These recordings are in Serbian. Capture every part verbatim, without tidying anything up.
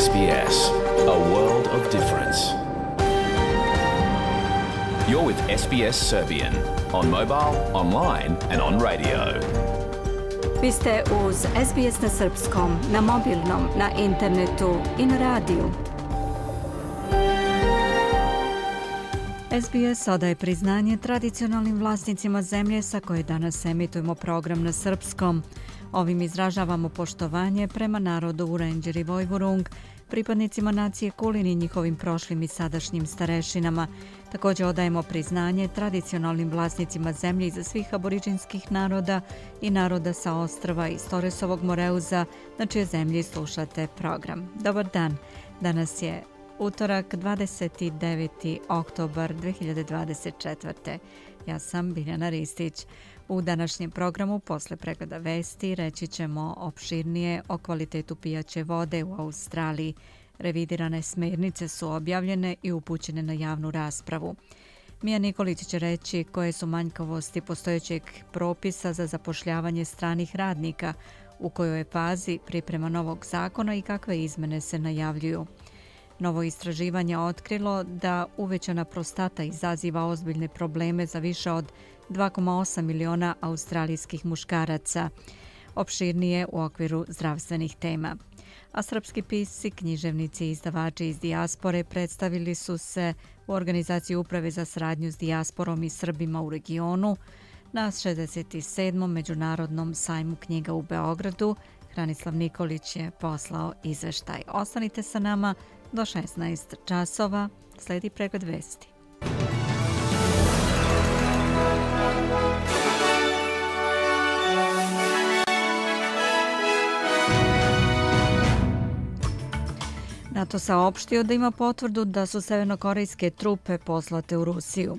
S B S, a world of difference. You're with S B S Serbian on mobile, online and on radio. Vi ste uz S B S na srpskom, na mobilnom, na internetu i na radiju. S B S odaje priznanje tradicionalnim vlasnicima zemlje sa koje danas emitujemo program na srpskom. Ovim izražavamo poštovanje prema narodu Vurenđer i Vojvurung, pripadnicima nacije Kulin i njihovim prošlim i sadašnjim starešinama. Također odajemo priznanje tradicionalnim vlasnicima zemlje iza svih aboriđinskih naroda i naroda sa ostrva iz Toresovog Moreuza, na čije zemlji slušate program. Dobar dan, danas je utorak, dvadeset deveti oktobar dve hiljade dvadeset četvrte. Ja sam Biljana Ristić. U današnjem programu posle pregleda vesti reći ćemo opširnije o kvalitetu pijaće vode u Australiji. Revidirane smernice su objavljene i upućene na javnu raspravu. Mija Nikolić će reći koje su manjkavosti postojećeg propisa za zapošljavanje stranih radnika, u kojoj je fazi priprema novog zakona i kakve izmene se najavljuju. Novo istraživanje otkrilo da uvećana prostata izaziva ozbiljne probleme za više od dva zarez osam miliona australijskih muškaraca, opširnije u okviru zdravstvenih tema. A srpski pisci, književnici i izdavači iz dijaspore predstavili su se u organizaciji Uprave za saradnju s dijasporom i Srbima u regionu na šezdeset sedmom Međunarodnom sajmu knjiga u Beogradu. Hranislav Nikolić je poslao izveštaj. Ostanite sa nama do šesnaest časova. Sledi pregled vesti. NATO saopštio da ima potvrdu da su severnokorejske trupe poslate u Rusiju.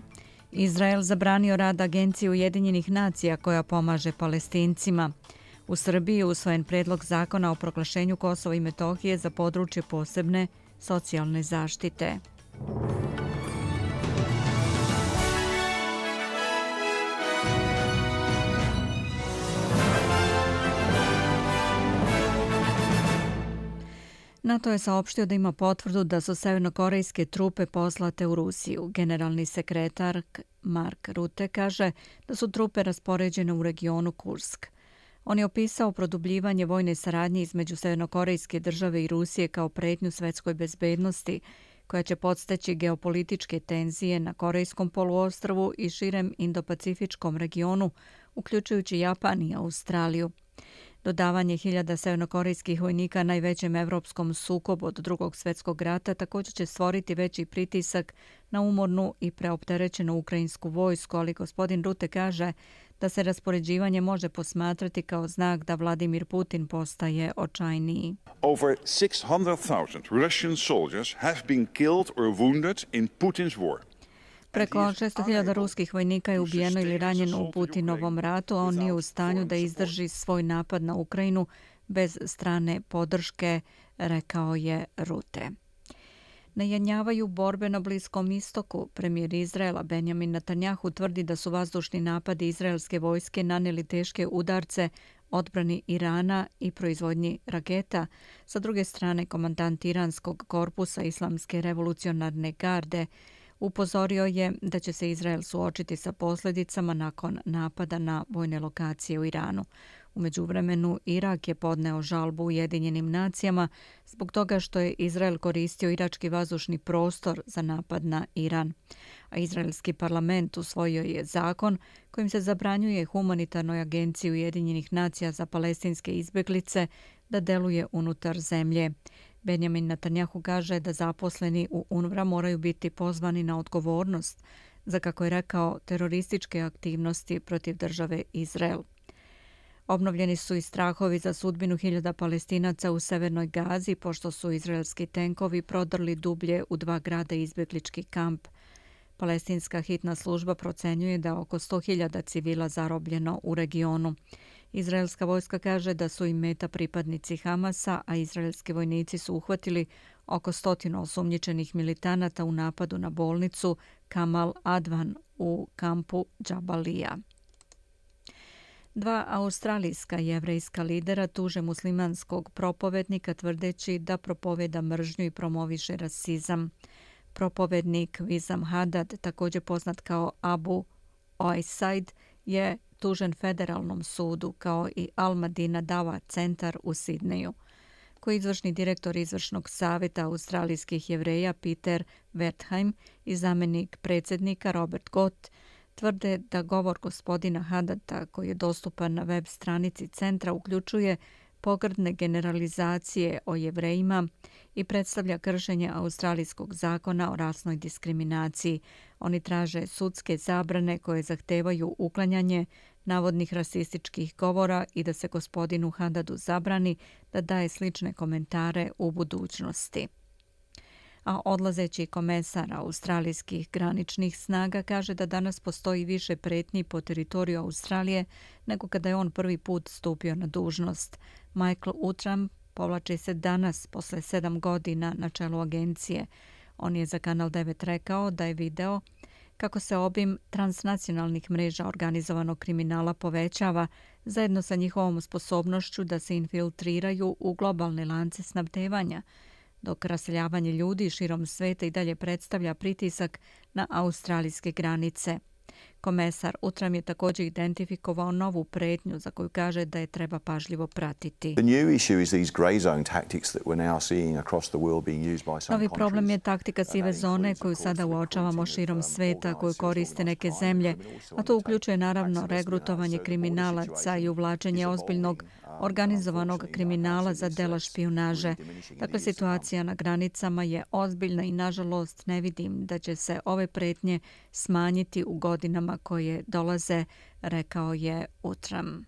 Izrael zabranio rad Agencije Ujedinjenih nacija koja pomaže Palestincima. U Srbiji je usvojen predlog zakona o proglašenju Kosova i Metohije za područje posebne socijalne zaštite. NATO je saopštio da ima potvrdu da su severnokorejske trupe poslate u Rusiju. Generalni sekretar Mark Rutte kaže da su trupe raspoređene u regionu Kursk. On je opisao produbljivanje vojne saradnje između severnokorejske države i Rusije kao pretnju svetskoj bezbednosti, koja će podstaći geopolitičke tenzije na Korejskom poluostrvu i širem Indo-Pacifičkom regionu, uključujući Japan i Australiju. Dodavanje hiljada severnokorejskih vojnika najvećem evropskom sukobu od drugog svjetskog rata također će stvoriti veći pritisak na umornu i preopterećenu ukrajinsku vojsku, ali gospodin Rutte kaže da se raspoređivanje može posmatrati kao znak da Vladimir Putin postaje očajniji. Over six hundred thousand Russian soldiers have been killed or wounded in Putin's war. Preko šesto hiljada ruskih vojnika je ubijeno ili ranjeno u Putinovom ratu, a on nije u stanju da izdrži svoj napad na Ukrajinu bez strane podrške, rekao je Rutte. Najanjavaju borbe na Bliskom istoku. Premijer Izraela Benjamin Netanjahu tvrdi da su vazdušni napadi izraelske vojske nanijeli teške udarce odbrani Irana i proizvodnji raketa. Sa druge strane, komandant iranskog korpusa Islamske revolucionarne garde upozorio je da će se Izrael suočiti sa posljedicama nakon napada na vojne lokacije u Iranu. U međuvremenu, Irak je podneo žalbu Ujedinjenim nacijama zbog toga što je Izrael koristio irački vazdušni prostor za napad na Iran. A izraelski parlament usvojio je zakon kojim se zabranjuje humanitarnoj agenciji Ujedinjenih nacija za palestinske izbjeglice da deluje unutar zemlje. Benjamin Netanjahu kaže da zaposleni u UNRWA moraju biti pozvani na odgovornost za, kako je rekao, terorističke aktivnosti protiv države Izrael. Obnovljeni su i strahovi za sudbinu hiljada Palestinaca u Severnoj Gazi, pošto su izraelski tenkovi prodrli dublje u dva grada izbjeglički kamp. Palestinska hitna služba procenjuje da oko sto hiljada civila zarobljeno u regionu. Izraelska vojska kaže da su im meta pripadnici Hamasa, a izraelski vojnici su uhvatili oko stotinu osumnjičenih militanata u napadu na bolnicu Kamal Advan u kampu Džabalija. Dva australijska jevrejska lidera tuže muslimanskog propovednika tvrdeći da propoveda mržnju i promoviše rasizam. Propovednik Wissam Haddad, također poznat kao Abu Oisaid, je tužen federalnom sudu kao i Al Madina Dawa centar u Sidneju. Koji izvršni direktor izvršnog savjeta australijskih jevreja Peter Wertheim i zamjenik predsjednika Robert Gott tvrde da govor gospodina Haddada koji je dostupan na web stranici centra uključuje pogrdne generalizacije o jevrejima i predstavlja kršenje australijskog zakona o rasnoj diskriminaciji. Oni traže sudske zabrane koje zahtevaju uklanjanje navodnih rasističkih govora i da se gospodinu Haddadu zabrani da daje slične komentare u budućnosti. A odlazeći komesar australijskih graničnih snaga kaže da danas postoji više pretnji po teritoriju Australije nego kada je on prvi put stupio na dužnost. Michael Utram povlači se danas posle sedam godina na čelu agencije. On je za Kanal devet rekao da je video kako se obim transnacionalnih mreža organizovanog kriminala povećava zajedno sa njihovom sposobnošću da se infiltriraju u globalne lance snabdevanja, dok raseljavanje ljudi širom sveta i dalje predstavlja pritisak na australijske granice. Komesar Utram je također identifikovao novu pretnju za koju kaže da je treba pažljivo pratiti. Novi problem je taktika sive zone koju sada uočavamo širom sveta, koju koriste neke zemlje, a to uključuje naravno regrutovanje kriminalaca i uvlačenje ozbiljnog organizovanog kriminala za dela špijunaže. Dakle, situacija na granicama je ozbiljna i nažalost ne vidim da će se ove pretnje smanjiti u godinama koje dolaze, rekao je Utram.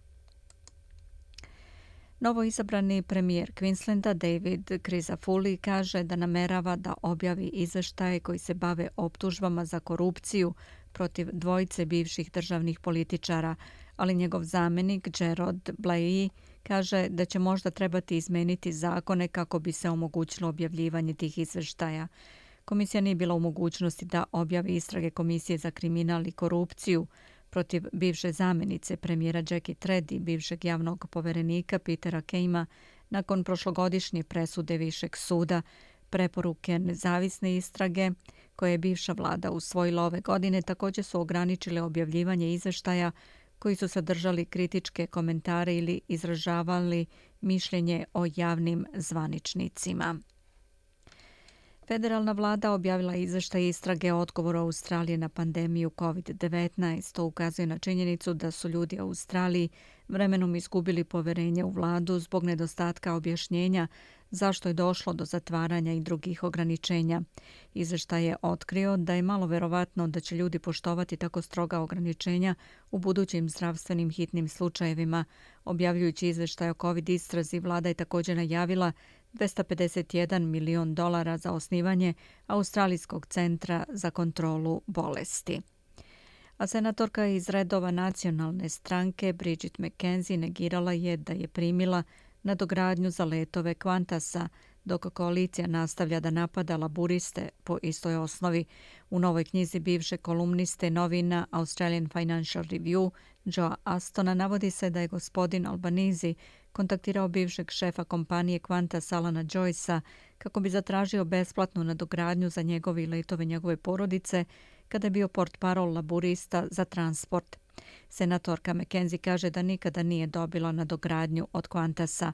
Novo izabrani premijer Queenslanda David Crisafulli kaže da namerava da objavi izveštaje koji se bave optužbama za korupciju protiv dvojice bivših državnih političara, ali njegov zamjenik Gerard Blayey kaže da će možda trebati izmeniti zakone kako bi se omogućilo objavljivanje tih izveštaja. Komisija nije bila u mogućnosti da objavi istrage Komisije za kriminal i korupciju protiv bivše zamjenice premijera Jackie Tredd i bivšeg javnog poverenika Petera Keima nakon prošlogodišnje presude Višeg suda. Preporuke nezavisne istrage koje je bivša vlada usvojila ove godine također su ograničile objavljivanje izveštaja koji su sadržali kritičke komentare ili izražavali mišljenje o javnim zvaničnicima. Federalna vlada objavila izveštaj istrage o odgovoru Australije na pandemiju kovid devetnaest. To ukazuje na činjenicu da su ljudi u Australiji vremenom izgubili poverenje u vladu zbog nedostatka objašnjenja zašto je došlo do zatvaranja i drugih ograničenja. Izveštaj je otkrio da je malo verovatno da će ljudi poštovati tako stroga ograničenja u budućim zdravstvenim hitnim slučajevima. Objavljujući izveštaj o covid istrazi, vlada je također najavila dvesta pedeset jedan milion dolara za osnivanje Australijskog centra za kontrolu bolesti. A senatorka iz redova nacionalne stranke Bridget McKenzie negirala je da je primila nadogradnju za letove Qantasa, dok koalicija nastavlja da napada laburiste po istoj osnovi. U novoj knjizi bivše kolumniste novina Australian Financial Review Joe Astona navodi se da je gospodin Albanese kontaktirao bivšeg šefa kompanije Qantas Alana Joycea kako bi zatražio besplatnu nadogradnju za njegove i letove njegove porodice kada je bio portparol laburista za transport. Senatorka McKenzie kaže da nikada nije dobila nadogradnju od Qantasa.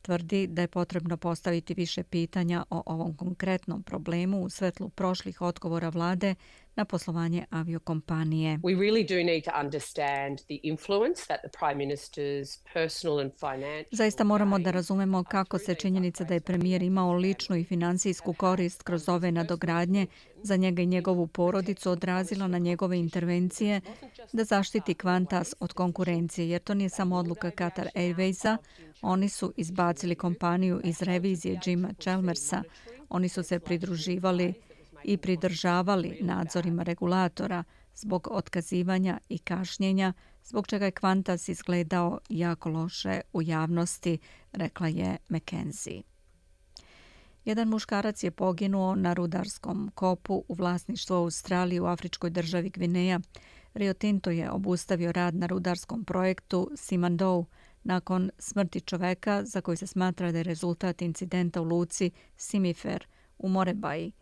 Tvrdi da je potrebno postaviti više pitanja o ovom konkretnom problemu u svetlu prošlih odgovora vlade na poslovanje aviokompanije. We really do need to understand the influence that the Prime Minister's personal and financial... Zaista moramo da razumemo kako se činjenica da je premijer imao ličnu i finansijsku korist kroz ove nadogradnje za njega i njegovu porodicu odrazila na njegove intervencije da zaštiti Qantas od konkurencije, jer to nije samo odluka Qatar Airwaysa. Oni su izbacili kompaniju iz revizije Jima Chalmersa. Oni su se pridruživali i pridržavali nadzorima regulatora zbog otkazivanja i kašnjenja, zbog čega je Qantas izgledao jako loše u javnosti, rekla je McKenzie. Jedan muškarac je poginuo na rudarskom kopu u vlasništvu Australije u afričkoj državi Gvineja. Rio Tinto je obustavio rad na rudarskom projektu Simandou nakon smrti čoveka za koji se smatra da je rezultat incidenta u luci Simifer u Morebaji.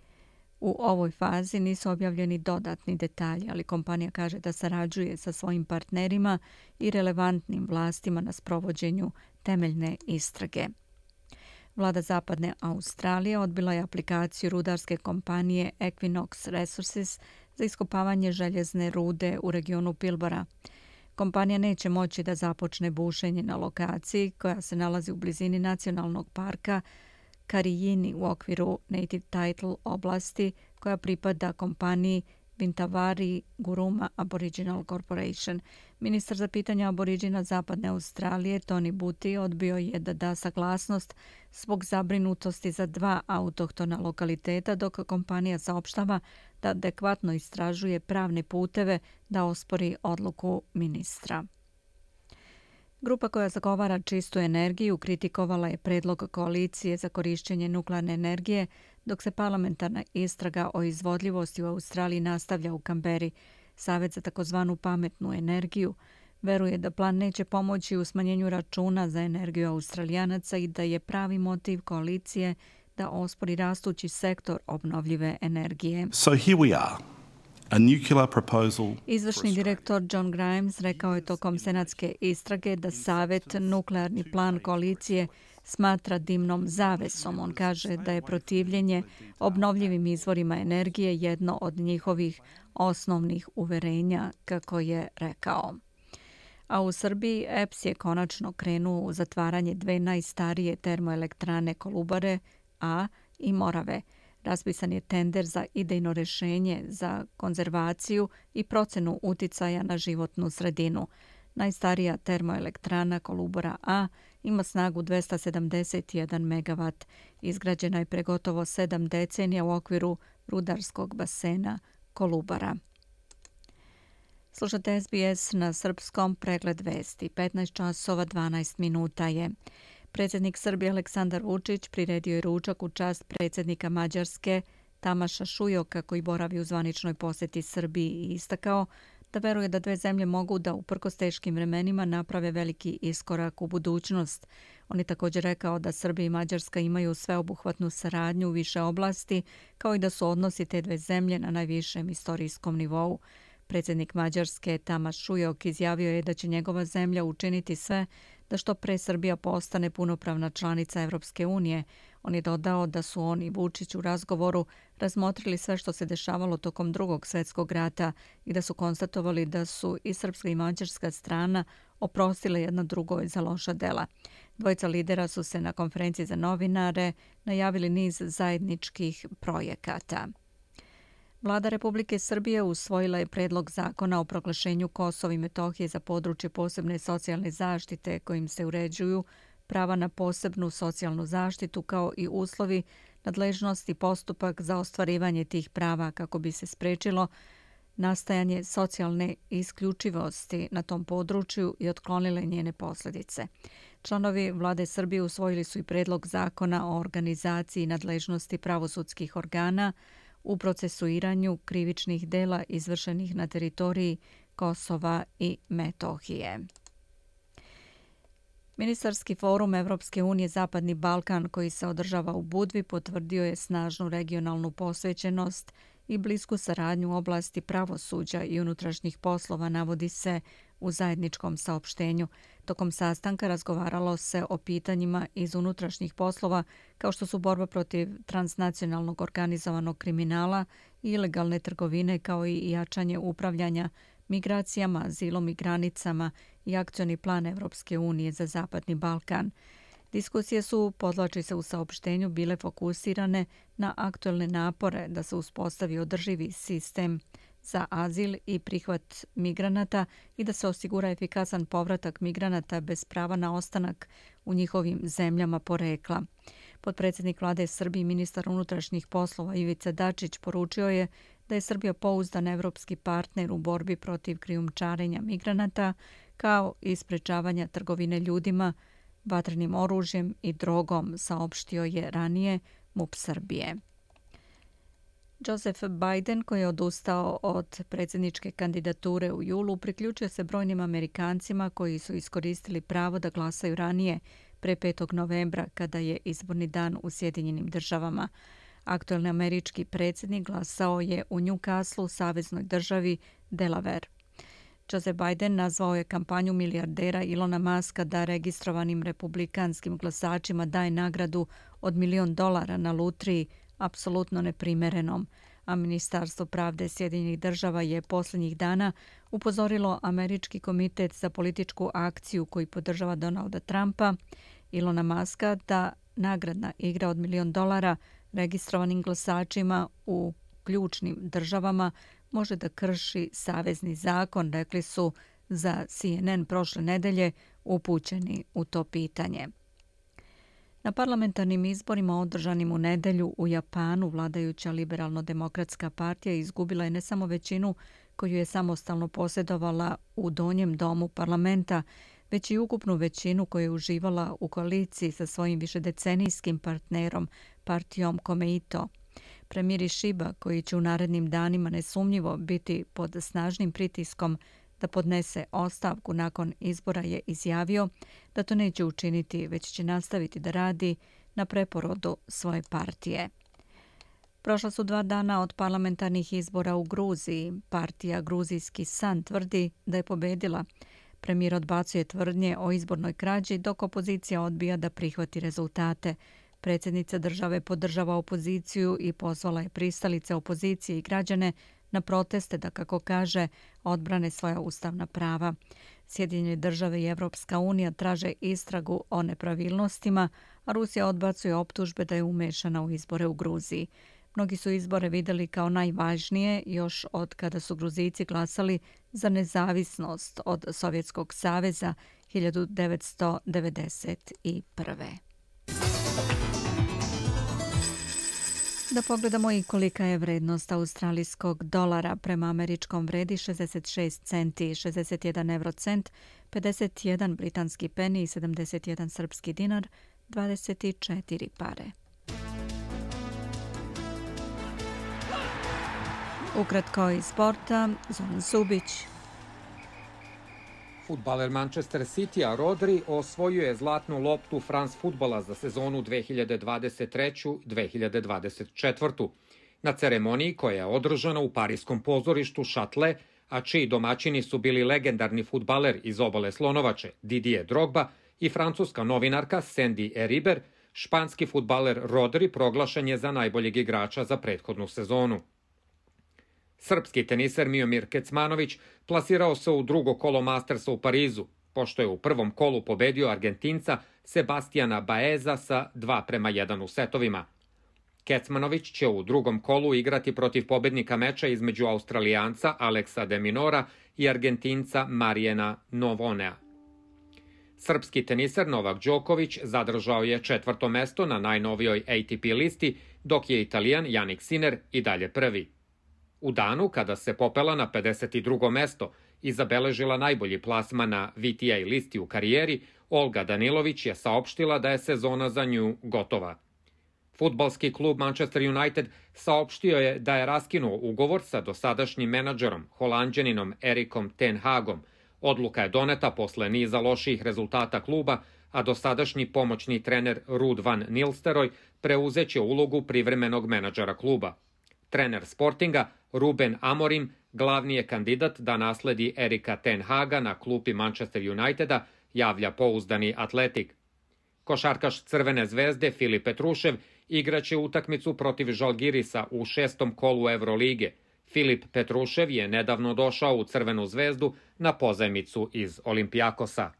U ovoj fazi nisu objavljeni dodatni detalji, ali kompanija kaže da sarađuje sa svojim partnerima i relevantnim vlastima na sprovođenju temeljne istrage. Vlada Zapadne Australije odbila je aplikaciju rudarske kompanije Equinox Resources za iskopavanje željezne rude u regionu Pilbara. Kompanija neće moći da započne bušenje na lokaciji koja se nalazi u blizini nacionalnog parka Karijini u okviru Native Title oblasti koja pripada kompaniji Vintavari Guruma Aboriginal Corporation. Ministar za pitanja aboriđina Zapadne Australije Tony Buti odbio je da da saglasnost zbog zabrinutosti za dva autohtona lokaliteta, dok kompanija saopštava da adekvatno istražuje pravne puteve da ospori odluku ministra. Grupa koja zagovara čistu energiju kritikovala je predlog koalicije za korišćenje nuklearne energije, dok se parlamentarna istraga o izvodljivosti u Australiji nastavlja u Kamberi. Savet za takozvanu pametnu energiju veruje da plan neće pomoći u smanjenju računa za energiju Australijanaca i da je pravi motiv koalicije da ospori rastući sektor obnovljive energije. So here we are. A nuclear proposal. Izvršni direktor John Grimes rekao je tokom senatske istrage da Savet nuklearni plan koalicije smatra dimnom zavesom. On kaže da je protivljenje obnovljivim izvorima energije jedno od njihovih osnovnih uverenja, kako je rekao. A u Srbiji E P S je konačno krenuo u zatvaranje dve najstarije termoelektrane Kolubare A i Morave. Raspisan je tender za idejno rješenje za konzervaciju i procenu uticaja na životnu sredinu. Najstarija termoelektrana Kolubara A ima snagu dvesta sedamdeset jedan megavat. Izgrađena je pre gotovo sedam decenija u okviru rudarskog basena Kolubara. Slušate S B S na srpskom, pregled vesti. petnaest časova dvanaest minuta je. Predsjednik Srbije Aleksandar Vučić priredio je ručak u čast predsjednika Mađarske Tamaša Šujoka koji boravi u zvaničnoj posjeti Srbiji i istakao da veruje da dve zemlje mogu da uprkos teškim vremenima naprave veliki iskorak u budućnost. On je također rekao da Srbija i Mađarska imaju sveobuhvatnu saradnju u više oblasti, kao i da su odnosi te dve zemlje na najvišem istorijskom nivou. Predsjednik Mađarske Tamaš Šujok izjavio je da će njegova zemlja učiniti sve da što pre Srbija postane punopravna članica Evropske unije. On je dodao da su on i Vučić u razgovoru razmotrili sve što se dešavalo tokom drugog svjetskog rata i da su konstatovali da su i srpska i mađarska strana oprostile jedna drugoj za loša dela. Dvojica lidera su se na konferenciji za novinare najavili niz zajedničkih projekata. Vlada Republike Srbije usvojila je predlog zakona o proglašenju Kosova i Metohije za područje posebne socijalne zaštite kojim se uređuju prava na posebnu socijalnu zaštitu kao i uslovi, nadležnost i postupak za ostvarivanje tih prava kako bi se sprečilo nastajanje socijalne isključivosti na tom području i otklonile njene posljedice. Članovi Vlade Srbije usvojili su i predlog zakona o organizaciji nadležnosti pravosudskih organa u procesuiranju krivičnih dela izvršenih na teritoriji Kosova i Metohije. Ministarski forum Evropske unije Zapadni Balkan koji se održava u Budvi potvrdio je snažnu regionalnu posvećenost i blisku saradnju u oblasti pravosuđa i unutrašnjih poslova, navodi se u zajedničkom saopštenju. Tokom sastanka razgovaralo se o pitanjima iz unutrašnjih poslova kao što su borba protiv transnacionalnog organizovanog kriminala i ilegalne trgovine kao i jačanje upravljanja migracijama, azilom i granicama i akcioni plan Evropske unije za Zapadni Balkan. Diskusije su, podvlači se u saopštenju, bile fokusirane na aktuelne napore da se uspostavi održivi sistem za azil i prihvat migranata i da se osigura efikasan povratak migranata bez prava na ostanak u njihovim zemljama porekla. Potpredsjednik Vlade Srbije i ministar unutrašnjih poslova Ivica Dačić poručio je da je Srbija pouzdan evropski partner u borbi protiv krijumčarenja migranata kao i sprečavanja trgovine ljudima, vatrenim oružjem i drogom, saopštio je ranije M U P Srbije. Joseph Biden, koji je odustao od predsjedničke kandidature u julu, priključio se brojnim Amerikancima koji su iskoristili pravo da glasaju ranije, pre petog novembra, kada je izborni dan u Sjedinjenim državama. Aktuelni američki predsjednik glasao je u Newcastle, saveznoj državi Delaware. Joseph Biden nazvao je kampanju milijardera Ilona Muska da registrovanim republikanskim glasačima daje nagradu od milion dolara na lutriji apsolutno neprimerenom, a Ministarstvo pravde Sjedinjenih država je posljednjih dana upozorilo Američki komitet za političku akciju koji podržava Donalda Trumpa, Ilona Muska, da nagradna igra od milion dolara registrovanim glasačima u ključnim državama može da krši savezni zakon, rekli su za C N N prošle nedelje upućeni u to pitanje. Na parlamentarnim izborima održanim u nedelju u Japanu vladajuća liberalno-demokratska partija izgubila je ne samo većinu koju je samostalno posjedovala u donjem domu parlamenta, već i ukupnu većinu koju je uživala u koaliciji sa svojim višedecenijskim partnerom, partijom Komeito. Premijer Shiba, koji će u narednim danima nesumnjivo biti pod snažnim pritiskom da podnese ostavku nakon izbora, je izjavio da to neće učiniti, već će nastaviti da radi na preporodu svoje partije. Prošla su dva dana od parlamentarnih izbora u Gruziji. Partija Gruzijski san tvrdi da je pobedila. Premijer odbacuje tvrdnje o izbornoj krađi, dok opozicija odbija da prihvati rezultate. Predsjednica države podržava opoziciju i pozvala je pristalice opozicije i građane na proteste da, kako kaže, odbrane svoja ustavna prava. Sjedinjene države i Evropska unija traže istragu o nepravilnostima, a Rusija odbacuje optužbe da je umešana u izbore u Gruziji. Mnogi su izbore vidjeli kao najvažnije još od kada su Gruzijci glasali za nezavisnost od Sovjetskog saveza hiljadu devetsto devedeset prve. Da pogledamo i kolika je vrednost australijskog dolara. Prema američkom vredi šezdeset šest centi, šezdeset jedan eurocent, pedeset jedan britanski peni i sedamdeset jedan srpski dinar, dvadeset četiri pare. Ukratko iz sporta, Zoran Subić. Fudbaler Manchester City-a Rodri osvojio je zlatnu loptu France fudbala za sezonu dve hiljade dvadeset treće dve hiljade dvadeset četvrte. Na ceremoniji koja je održana u pariskom pozorištu Châtelet, a čiji domaćini su bili legendarni fudbaler iz obale Slonovače Didier Drogba i francuska novinarka Sandy Eriber, španski fudbaler Rodri proglašen je za najboljeg igrača za prethodnu sezonu. Srpski teniser Miomir Kecmanović plasirao se u drugo kolo Mastersa u Parizu, pošto je u prvom kolu pobedio Argentinca Sebastiana Baeza sa dva prema jedan u setovima. Kecmanović će u drugom kolu igrati protiv pobednika meča između Australijanca Aleksa de Minora i Argentinca Marijana Novonea. Srpski teniser Novak Đoković zadržao je četvrto mesto na najnovijoj A T P listi, dok je Italijan Jannik Sinner i dalje prvi. U danu kada se popela na pedeset drugo mesto i zabeležila najbolji plasman na V T A listi u karijeri, Olga Danilović je saopštila da je sezona za nju gotova. Fudbalski klub Manchester United saopštio je da je raskinuo ugovor sa dosadašnjim menadžerom, Holanđaninom Erikom ten Hagom. Odluka je doneta posle niza loših rezultata kluba, a dosadašnji pomoćni trener Ruud van Nistelrooy preuzeće ulogu privremenog menadžera kluba. Trener Sportinga Ruben Amorim glavni je kandidat da nasledi Erika ten Haga na klupi Manchester Uniteda, javlja pouzdani Atletik. Košarkaš Crvene zvezde Filip Petrušev igraće utakmicu protiv Žalgirisa u šestom kolu Evrolige. Filip Petrušev je nedavno došao u Crvenu zvezdu na pozajmicu iz Olimpijakosa.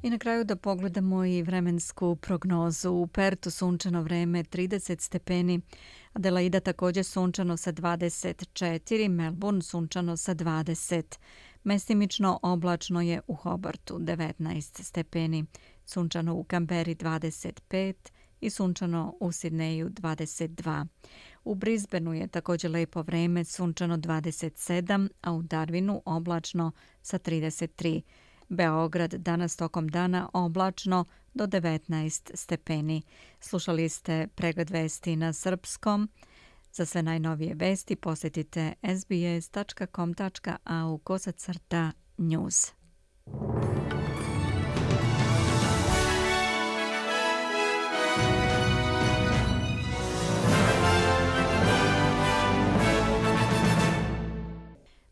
I na kraju da pogledamo i vremensku prognozu. U Pertu sunčano vreme trideset stepeni, Adelaida također sunčano sa dvadeset četiri, Melbourne sunčano sa dvadeset. Mestimično oblačno je u Hobartu devetnaest stepeni, sunčano u Kamberi dvadeset pet i sunčano u Sidneju dvadeset dva. U Brisbaneu je također lepo vreme, sunčano dvadeset sedam, a u Darwinu oblačno sa trideset tri. Beograd danas tokom dana oblačno do devetnaest stepeni. Slušali ste pregled vesti na srpskom. Za sve najnovije vesti posjetite s b s tačka com tačka a u kosacrta news.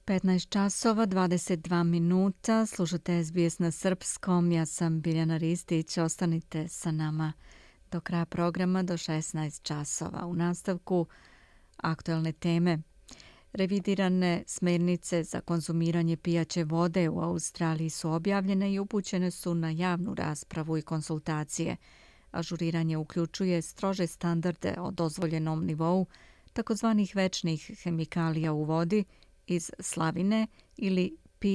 petnaest časova, dvadeset dva minuta, slušate S B S na srpskom, ja sam Biljana Ristić, ostanite sa nama do kraja programa do šesnaest časova. U nastavku aktuelne teme. Revidirane smernice za konzumiranje pijaće vode u Australiji su objavljene i upućene su na javnu raspravu i konsultacije. Ažuriranje uključuje strože standarde o dozvoljenom nivou takozvanih večnih hemikalija u vodi iz slavine ili P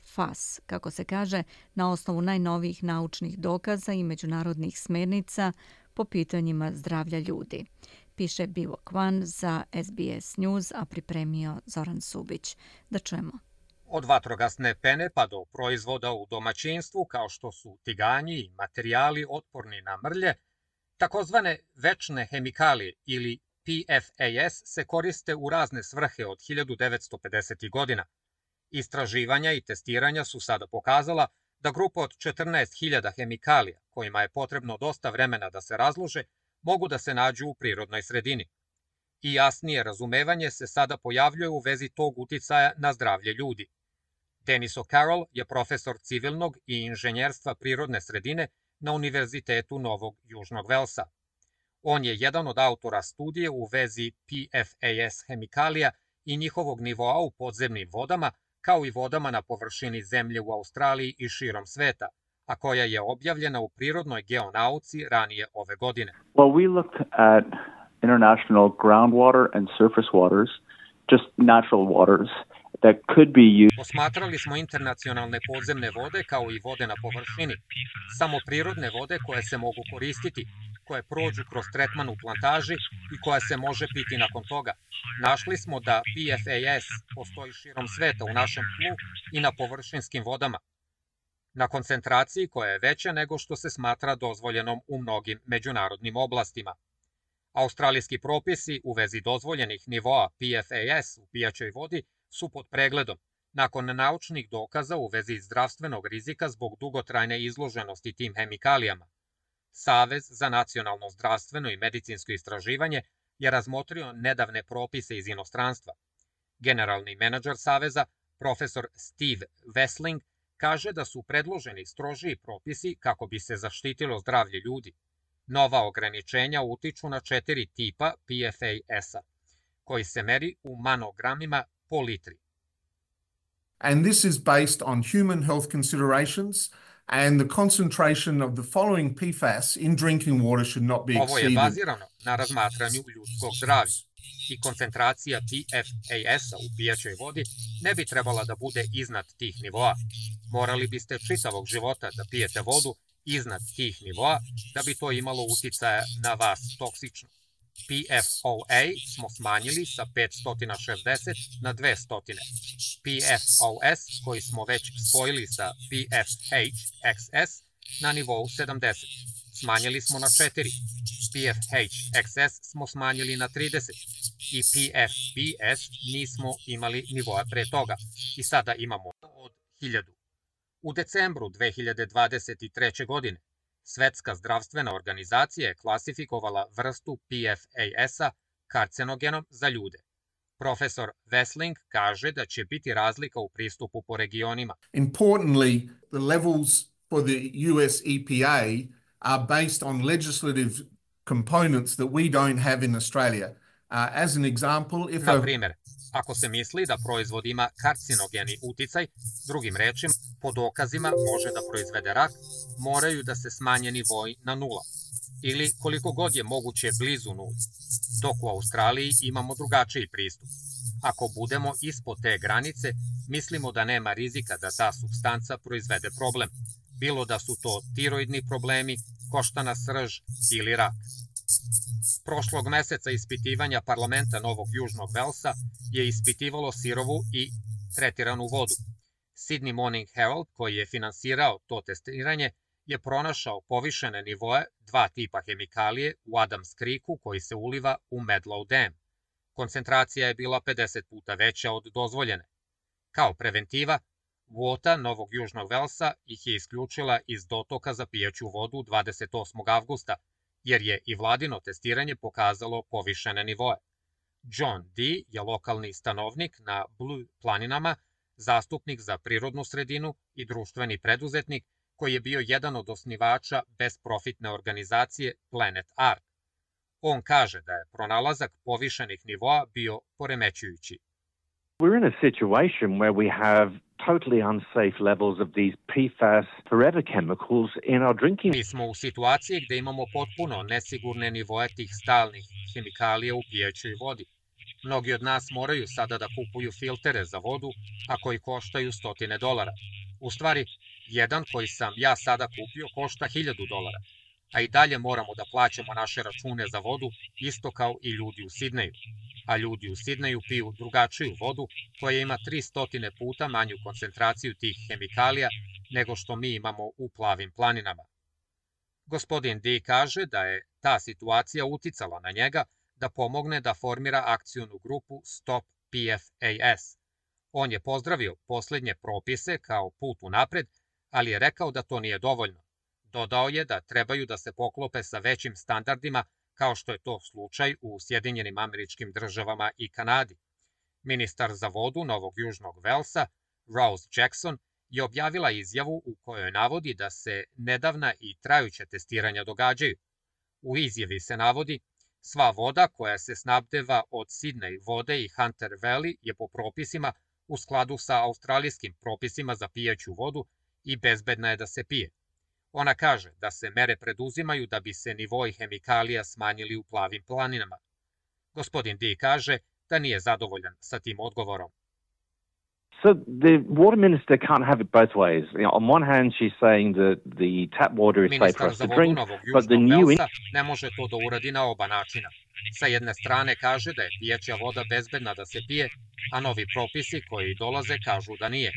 F A S, kako se kaže, na osnovu najnovijih naučnih dokaza i međunarodnih smernica po pitanjima zdravlja ljudi. Piše Bivo Kwan za S B S News, a pripremio Zoran Subić. Da čujemo. Od vatrogasne pene pa do proizvoda u domaćinstvu, kao što su tiganji i materijali otporni na mrlje, takozvane večne hemikalije ili P F A S se koriste u razne svrhe od hiljadu devetsto pedesetih godina. Istraživanja i testiranja su sada pokazala da grupa od četrnaest hiljada hemikalija, kojima je potrebno dosta vremena da se razlože, mogu da se nađu u prirodnoj sredini. I jasnije razumevanje se sada pojavljuje u vezi tog uticaja na zdravlje ljudi. Dennis O'Carroll je profesor civilnog i inženjerstva prirodne sredine na Univerzitetu Novog Južnog Velsa. On je jedan od autora studije u vezi P F A S hemikalija i njihovog nivoa u podzemnim vodama, kao i vodama na površini zemlje u Australiji i širom sveta, a koja je objavljena u prirodnoj geonauci ranije ove godine. Well, we looked at international groundwater and surface waters, just natural waters that could be used. Posmatrali smo internacionalne podzemne vode kao i vode na površini, samo prirodne vode koje se mogu koristiti, koje prođu kroz tretman u plantaži i koja se može piti nakon toga. Našli smo da P F A S postoji širom sveta u našem tlu i na površinskim vodama, na koncentraciji koja je veća nego što se smatra dozvoljenom u mnogim međunarodnim oblastima. Australijski propisi u vezi dozvoljenih nivoa P F A S u pijaćoj vodi su pod pregledom, nakon naučnih dokaza u vezi zdravstvenog rizika zbog dugotrajne izloženosti tim hemikalijama. Savez za nacionalno zdravstveno i medicinsko istraživanje je razmotrio nedavne propise iz inostranstva. Generalni menadžer Saveza, profesor Steve Wessling, kaže da su predloženi strožiji propisi kako bi se zaštitilo zdravlje ljudi. Nova ograničenja utiču na četiri tipa P F A S-a, koji se meri u manogramima po litri. And this is based on human health considerations and the concentration of the following P F A S in drinking water should not be exceeded. Ovo je bazirano na razmatranju ljudskog zdravlja i koncentracija P F A S-a u pijaćoj vodi ne bi trebala da bude iznad tih nivoa. Morali biste čitavog života da pijete vodu iznad tih nivoa da bi to imalo uticaja na vas toksično. P F O A smo smanjili sa petsto šezdeset na dvesta. P F O S, koji smo već spojili sa P F H X S, na nivou sedamdeset. Smanjili smo na četiri. P F H X S smo smanjili na trideset. I P F B S nismo imali nivoa pre toga. I sada imamo od hiljadu. U decembru dve hiljade dvadeset treće. godine Svetska zdravstvena organizacija je klasifikovala vrstu P F A S-a karcenogenom za ljude. Profesor Wessling kaže da će biti razlika u pristupu po regionima. Importantly, the levels for the U S E P A are based on legislative components that we don't have in Australia. Uh, as an example, if Na primjer, ako se misli da proizvod ima karcinogeni uticaj, drugim rečima, po dokazima može da proizvede rak, moraju da se smanje nivoi na nula, ili koliko god je moguće blizu nuli, dok u Australiji imamo drugačiji pristup. Ako budemo ispod te granice, mislimo da nema rizika da ta supstanca proizvede problem, bilo da su to tiroidni problemi, koštana srž ili rak. Prošlog meseca ispitivanja parlamenta Novog Južnog Velsa je ispitivalo sirovu i tretiranu vodu. Sydney Morning Herald, koji je finansirao to testiranje, je pronašao povišene nivoe dva tipa hemikalije u Adams Creeku koji se uliva u Medlow Dam. Koncentracija je bila pedeset puta veća od dozvoljene. Kao preventiva, Vota Novog Južnog Velsa ih je isključila iz dotoka za pijaću vodu dvadeset osmog avgusta, jer je i vladino testiranje pokazalo povišene nivoe. John Dee je lokalni stanovnik na Blue planinama, zastupnik za prirodnu sredinu i društveni preduzetnik koji je bio jedan od osnivača besprofitne organizacije Planet Ark. On kaže da je pronalazak povišenih nivoa bio poremećujući. We're in a situation where we have totally unsafe levels of these P FAS forever chemicals in our drinking. Mi smo u situaciji gde imamo potpuno nesigurne nivoe tih stalnih hemikalija u pijećoj vodi. Mnogi od nas moraju sada da kupuju filtere za vodu, a koji koštaju stotine dolara. U stvari, jedan koji sam ja sada kupio košta hiljadu dolara, a i dalje moramo da plaćamo naše račune za vodu, isto kao i ljudi u Sidneju. A ljudi u Sidneju piju drugačiju vodu koja ima tristo puta manju koncentraciju tih hemikalija nego što mi imamo u Plavim planinama. Gospodin Dee kaže da je ta situacija uticala na njega da pomogne da formira akcionu grupu Stop P F A S. On je pozdravio poslednje propise kao put unapred, ali je rekao da to nije dovoljno. Dodao je da trebaju da se poklope sa većim standardima kao što je to slučaj u Sjedinjenim Američkim Državama i Kanadi. Ministar za vodu Novog Južnog Velsa, Rose Jackson, je objavila izjavu u kojoj navodi da se nedavna i trajuća testiranja događaju. U izjavi se navodi: sva voda koja se snabdeva od Sydney vode i Hunter Valley je po propisima u skladu sa australijskim propisima za pijaću vodu i bezbedna je da se pije. Ona kaže da se mere preduzimaju da bi se nivoi hemikalija smanjili u Plavim planinama. Gospodin Dee kaže da nije zadovoljan sa tim odgovorom. So the water minister can't have it both ways. You know, on one hand, she's saying that the tap water is safe for us to drink, but the new Velsa ne može to da uradi na oba načina. Sa jedne strane kaže da je pijaća voda bezbedna da se pije, a novi propisi koji dolaze kažu da nije.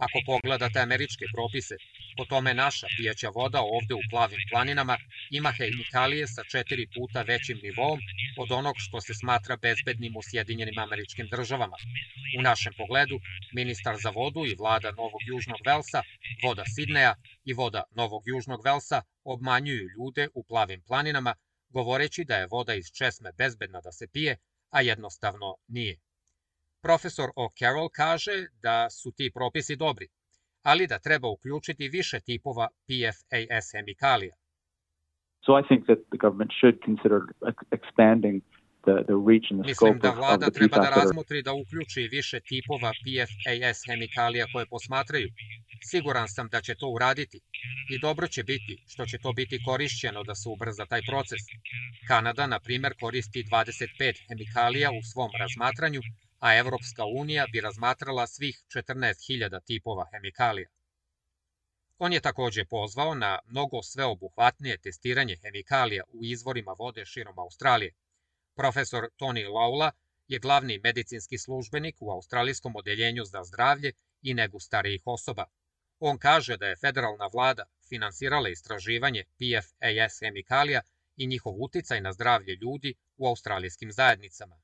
Ako pogledate američke propise, po tome naša pijaća voda ovde u Plavim planinama ima hemikalije sa četiri puta većim nivom od onog što se smatra bezbednim u Sjedinjenim Američkim Državama. U našem pogledu, ministar za vodu i vlada Novog Južnog Velsa, voda Sidneja i voda Novog Južnog Velsa obmanjuju ljude u Plavim planinama, govoreći da je voda iz česme bezbedna da se pije, a jednostavno nije. Profesor O'Carroll kaže da su ti propisi dobri, ali da treba uključiti više tipova P F A S hemikalija. So I think that the government should consider expanding the, the reach and the Mislim scope da of, of vlada the treba P da FAS that are... razmotri da uključi više tipova P F A S hemikalija koje posmatraju. Siguran sam da će to uraditi i dobro će biti što će to biti korišćeno da se ubrza taj proces. Kanada, na primjer, koristi dvadeset pet hemikalija u svom razmatranju, a Evropska unija bi razmatrala svih četrnaest hiljada tipova hemikalija. On je takođe pozvao na mnogo sveobuhvatnije testiranje hemikalija u izvorima vode širom Australije. Profesor Tony Laula je glavni medicinski službenik u Australijskom odeljenju za zdravlje i negu starijih osoba. On kaže da je federalna vlada finansirala istraživanje P F A S hemikalija i njihov uticaj na zdravlje ljudi u australijskim zajednicama.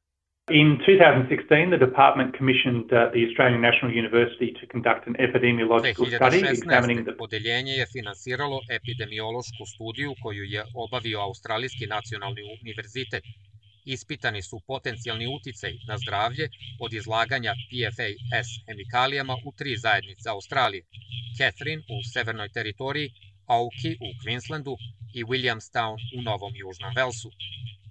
In two thousand sixteen, the department commissioned uh, the Australian National University to conduct an epidemiological study examining the... Odeljenje je finansiralo epidemiološku studiju koju je obavio Australijski nacionalni univerzitet. Ispitani su potencijalni uticaj na zdravlje od izlaganja P F A S hemikalijama u tri zajednice Australije: Catherine u Severnoj teritoriji, Auki u Queenslandu i Williamstown u Novom Južnom Velsu.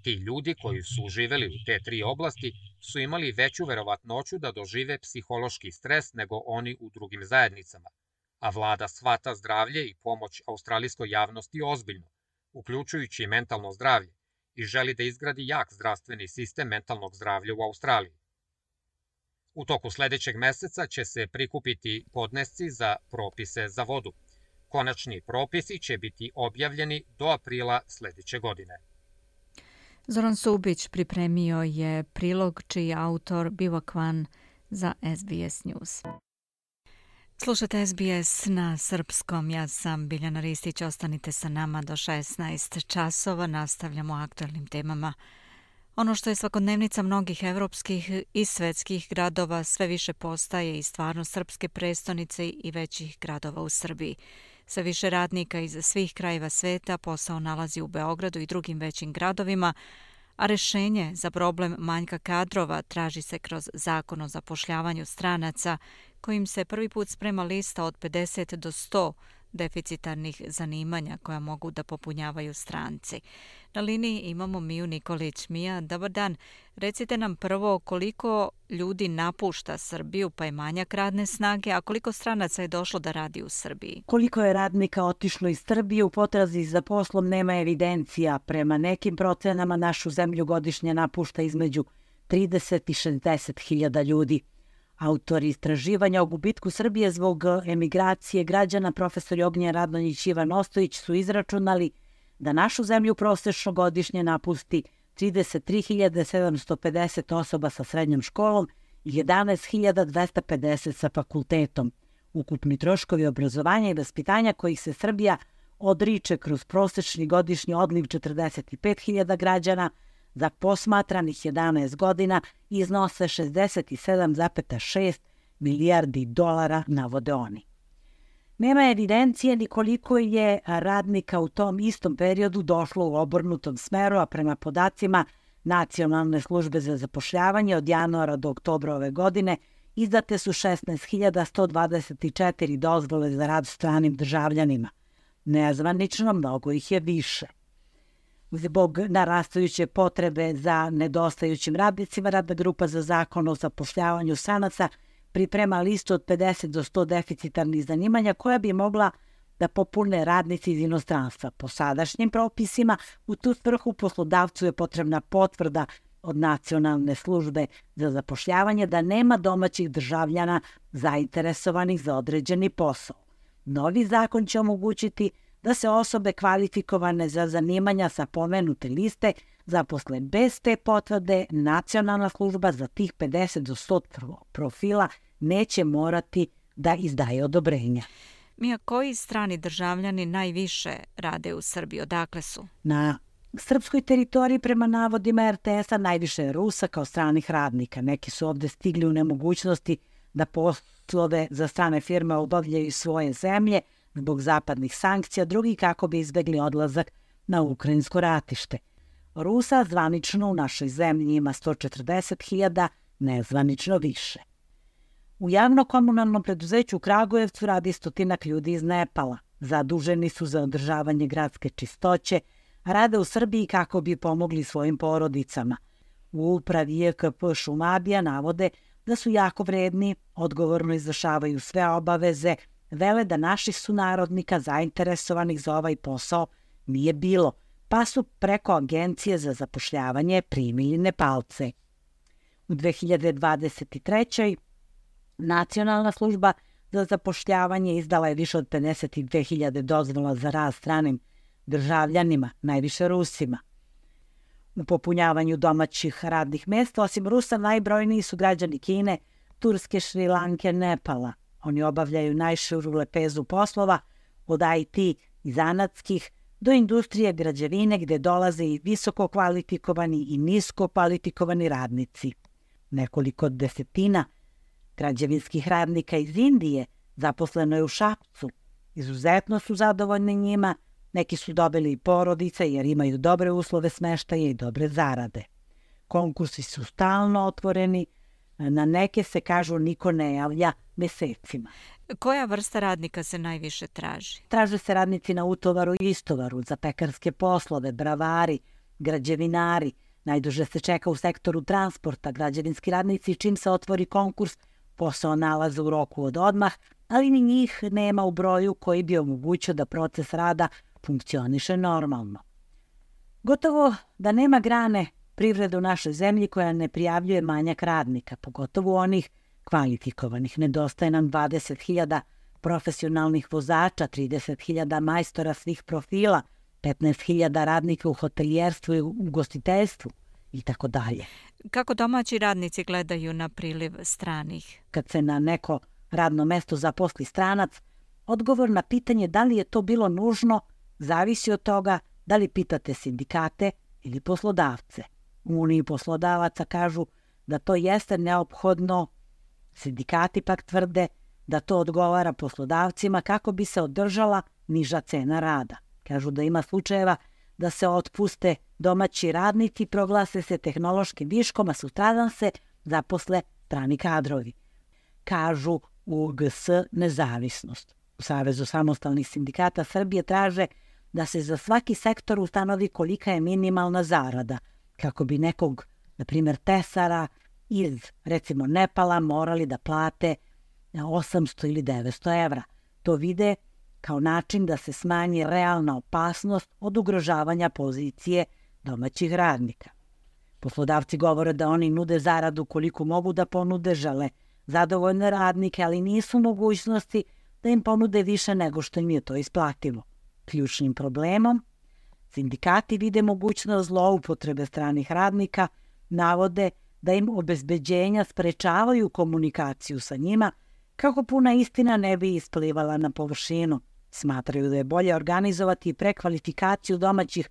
Ti ljudi koji su živeli u te tri oblasti su imali veću verovatnoću da dožive psihološki stres nego oni u drugim zajednicama, a vlada shvata zdravlje i pomoć australijskoj javnosti ozbiljno, uključujući mentalno zdravlje, i želi da izgradi jak zdravstveni sistem mentalnog zdravlja u Australiji. U toku sledećeg meseca će se prikupiti podnesci za propise za vodu. Konačni propisi će biti objavljeni do aprila sledeće godine. Zoran Subić pripremio je prilog čiji je autor Biva Kwan za S B S News. Slušate S B S na srpskom, ja sam Biljana Ristić, ostanite sa nama do šesnaest časova, nastavljamo aktualnim temama. Ono što je svakodnevnica mnogih evropskih i svetskih gradova sve više postaje i stvarno srpske prestonice i većih gradova u Srbiji. Sve više radnika iz svih krajeva sveta posao nalazi u Beogradu i drugim većim gradovima, a rešenje za problem manjka kadrova traži se kroz Zakon o zapošljavanju stranaca, kojim se prvi put sprema lista od pedeset do sto deficitarnih zanimanja koja mogu da popunjavaju stranci. Na liniji imamo Miju Nikolić. Mija, dobar dan. Recite nam prvo koliko ljudi napušta Srbiju pa je manjak radne snage, a koliko stranaca je došlo da radi u Srbiji? Koliko je radnika otišlo iz Srbije u potrazi za poslom nema evidencija. Prema nekim procenama našu zemlju godišnje napušta između trideset i šezdeset hiljada ljudi. Autori istraživanja o gubitku Srbije zbog emigracije građana, profesor Ognjen Radonjić i Ivan Ostojić, su izračunali da našu zemlju prosečno godišnje napusti trideset tri hiljade sedamsto pedeset osoba sa srednjom školom i jedanaest hiljada dvesta pedeset sa fakultetom. Ukupni troškovi obrazovanja i vaspitanja kojih se Srbija odriče kroz prosečni godišnji odliv četrdeset pet hiljada građana za posmatranih jedanaest godina iznose šezdeset sedam zarez šest milijardi dolara, navode oni. Nema evidencije ni koliko je radnika u tom istom periodu došlo u obrnutom smeru, a prema podacima Nacionalne službe za zapošljavanje od januara do oktobra ove godine izdate su šesnaest hiljada sto dvadeset četiri dozvole za rad stranim državljanima. Nezvanično mnogo ih je više. Zbog narastajuće potrebe za nedostajućim radnicima, Radna grupa za Zakon o zapošljavanju stranaca priprema listu od pedeset do sto deficitarnih zanimanja koja bi mogla da popune radnici iz inostranstva. Po sadašnjim propisima, u tu svrhu poslodavcu je potrebna potvrda od Nacionalne službe za zapošljavanje da nema domaćih državljana zainteresovanih za određeni posao. Novi zakon će omogućiti da se osobe kvalifikovane za zanimanja sa pomenute liste zaposle bez te potvrde. Nacionalna služba za tih pedeset do sto profila neće morati da izdaje odobrenja. Mija, koji strani državljani najviše rade u Srbiji? Odakle su? Na srpskoj teritoriji prema navodima er te es-a najviše je Rusa kao stranih radnika. Neki su ovde stigli u nemogućnosti da poslove za strane firme obavljaju svoje zemlje zbog zapadnih sankcija, drugi kako bi izbegli odlazak na ukrajinsko ratište. Rusa zvanično u našoj zemlji ima sto četrdeset hiljada, nezvanično više. U javno-komunalnom preduzeću u Kragujevcu radi stotinak ljudi iz Nepala. Zaduženi su za održavanje gradske čistoće, a rade u Srbiji kako bi pomogli svojim porodicama. U upravi je ka pe Šumadija navode da su jako vredni, odgovorno izvršavaju sve obaveze, vele da naših sunarodnika zainteresovanih za ovaj posao nije bilo, pa su preko Agencije za zapošljavanje primili Nepalce. U dve hiljade dvadeset trećoj. Nacionalna služba za zapošljavanje izdala je više od pedeset dve hiljade dozvola za rad stranim državljanima, najviše Rusima. U popunjavanju domaćih radnih mesta, osim Rusa, najbrojniji su građani Kine, Turske, Šrilanke, Nepala. Oni obavljaju najširu lepezu poslova, od i te i zanatskih do industrije građevine gde dolaze i visoko kvalifikovani i nisko kvalifikovani radnici. Nekoliko desetina građevinskih radnika iz Indije zaposleno je u Šapcu. Izuzetno su zadovoljni njima, neki su dobili i porodice jer imaju dobre uslove smeštaja i dobre zarade. Konkursi su stalno otvoreni, na neke se, kažu, niko ne javlja mesecima. Koja vrsta radnika se najviše traži? Traže se radnici na utovaru i istovaru, za pekarske poslove, bravari, građevinari. Najduže se čeka u sektoru transporta. Građevinski radnici, čim se otvori konkurs, posao nalaze u roku od odmah, ali ni njih nema u broju koji bi omogućio da proces rada funkcioniše normalno. Gotovo da nema grane privrede u našoj zemlji koja ne prijavljuje manjak radnika, pogotovo onih kvalifikovanih. Nedostaje nam dvadeset hiljada profesionalnih vozača, trideset hiljada majstora svih profila, petnaest hiljada radnika u hotelijerstvu i ugostiteljstvu i tako dalje. Kako domaći radnici gledaju na priliv stranih? Kad se na neko radno mesto zaposli stranac, odgovor na pitanje da li je to bilo nužno zavisi od toga da li pitate sindikate ili poslodavce. U Uniji poslodavaca kažu da to jeste neophodno, sindikati pak tvrde da to odgovara poslodavcima kako bi se održala niža cena rada. Kažu da ima slučajeva da se otpuste domaći radnici, proglase se tehnološkim viškom, a sutradan se zaposle strani kadrovi. Kažu u G S Nezavisnost. U Savezu samostalnih sindikata Srbije traže da se za svaki sektor ustanovi kolika je minimalna zarada, kako bi nekog, na primjer, tesara iz, recimo, Nepala morali da plate osamsto ili devetsto evra. To vide kao način da se smanji realna opasnost od ugrožavanja pozicije domaćih radnika. Poslodavci govore da oni nude zaradu koliko mogu da ponude, žele zadovoljne radnike, ali nisu mogućnosti da im ponude više nego što im je to isplativo. Ključnim problemom sindikati vide mogućnost zloupotrebe stranih radnika, navode da im obezbeđenja sprečavaju komunikaciju sa njima kako puna istina ne bi isplivala na površinu. Smatraju da je bolje organizovati prekvalifikaciju domaćih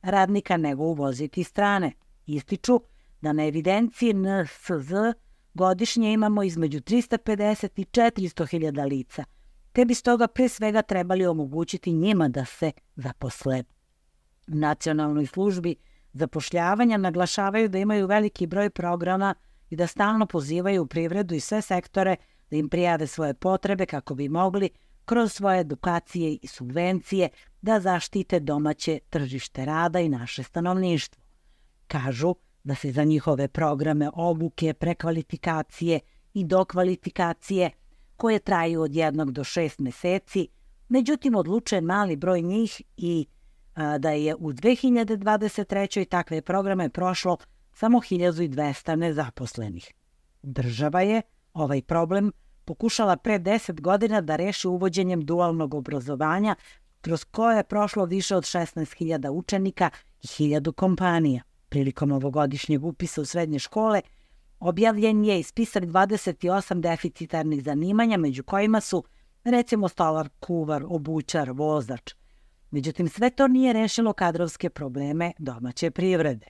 radnika nego uvoziti strane. Ističu da na evidenciji N S Z godišnje imamo između trista pedeset i četiristo hiljada lica, te bi stoga pre svega trebali omogućiti njima da se zaposle. U Nacionalnoj službi zapošljavanja naglašavaju da imaju veliki broj programa i da stalno pozivaju privredu i sve sektore da im prijave svoje potrebe kako bi mogli kroz svoje edukacije i subvencije da zaštite domaće tržište rada i naše stanovništvo. Kažu da se za njihove programe obuke, prekvalifikacije i dokvalifikacije, koje traju od jednog do šest meseci, međutim odlučuje mali broj njih i a, da je u dve hiljade dvadeset trećoj takve programe prošlo samo hiljadu dvesta nezaposlenih. Država je ovaj problem pokušala pre deset godina da reši uvođenjem dualnog obrazovanja, kroz koje je prošlo više od šesnaest hiljada učenika i hiljadu kompanija. Prilikom ovogodišnjeg upisa u srednje škole objavljen je i spisak dvadeset osam deficitarnih zanimanja, među kojima su, recimo, stolar, kuvar, obućar, vozač. Međutim, sve to nije rešilo kadrovske probleme domaće privrede.